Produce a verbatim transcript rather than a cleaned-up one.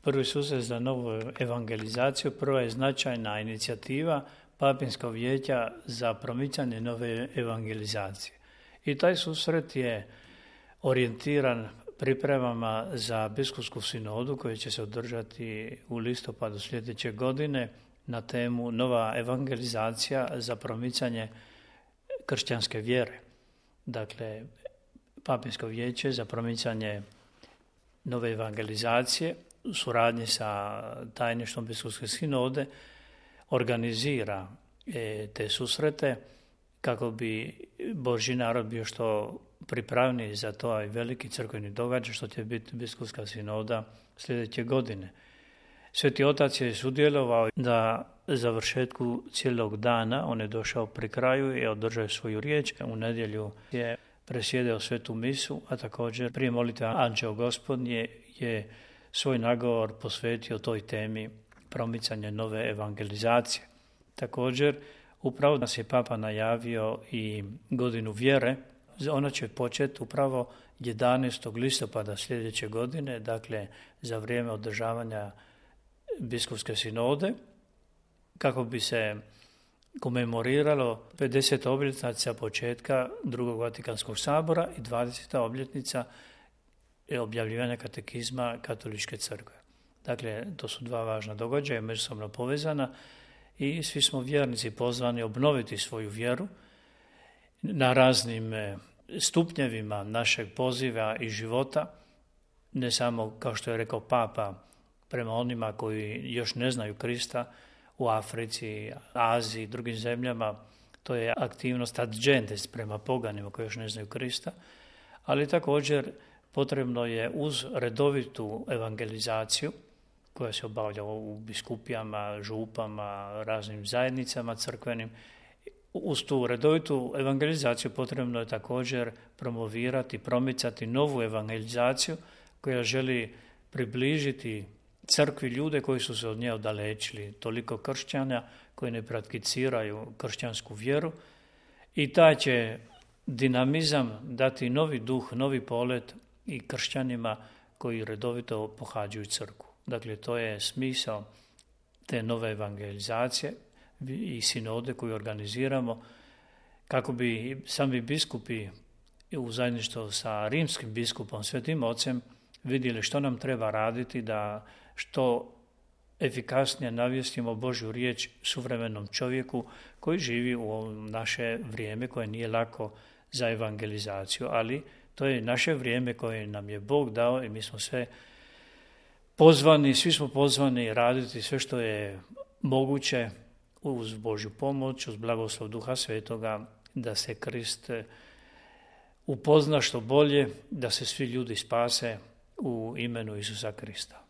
Prvi susret za novu evangelizaciju, prva je značajna inicijativa Papinskog vijeća za promicanje nove evangelizacije. I taj susret je orijentiran pripremama za biskupsku sinodu koja će se održati u listopadu sljedeće godine na temu nova evangelizacija za promicanje kršćanske vjere. Dakle, Papinsko vijeće za promicanje nove evangelizacije u suradnji sa tajništvom biskupske sinode organizira te susrete kako bi Božji narod bio što pripravniji za to veliki crkveni događaj što će biti biskupska sinoda sljedeće godine. Sveti Otac je sudjelovao da završetku cijelog dana, on je došao pri kraju i održao svoju riječ. U nedjelju je presjedao svetu misu, a također prije molitve Anđeo Gospodnje je svoj nagovor posvetio toj temi promicanja nove evangelizacije. Također, upravo nas je Papa najavio i godinu vjere. Ona će početi upravo jedanaestog listopada sljedeće godine, dakle za vrijeme održavanja biskupske sinode, kako bi se komemoriralo pedeseta obljetnica početka drugog Vatikanskog sabora i dvadeseta obljetnica objavljivanja katekizma Katoličke crkve. Dakle, to su dva važna događaja, međusobno povezana i svi smo vjernici pozvani obnoviti svoju vjeru na raznim stupnjevima našeg poziva i života, ne samo, kao što je rekao Papa, prema onima koji još ne znaju Krista u Africi, Aziji i drugim zemljama, to je aktivnost ad gentes prema poganima koji još ne znaju Krista, ali također potrebno je uz redovitu evangelizaciju koja se obavlja u biskupijama, župama, raznim zajednicama crkvenim, uz tu redovitu evangelizaciju potrebno je također promovirati, promicati novu evangelizaciju koja želi približiti crkvi ljude koji su se od nje odalečili, toliko kršćana koji ne prakticiraju kršćansku vjeru i taj će dinamizam dati novi duh, novi polet i kršćanima koji redovito pohađaju crkvu. Dakle, to je smisao te nove evangelizacije i sinode koju organiziramo kako bi sami biskupi u zajedništvu sa rimskim biskupom, Svetim Ocem, vidjeli što nam treba raditi da što efikasnije navijestimo Božju riječ suvremenom čovjeku koji živi u naše vrijeme koje nije lako za evangelizaciju, ali to je naše vrijeme koje nam je Bog dao i mi smo sve pozvani, svi smo pozvani raditi sve što je moguće uz Božju pomoć, uz blagoslov Duha Svetoga, da se Krist upozna što bolje, da se svi ljudi spase u imenu Isusa Krista.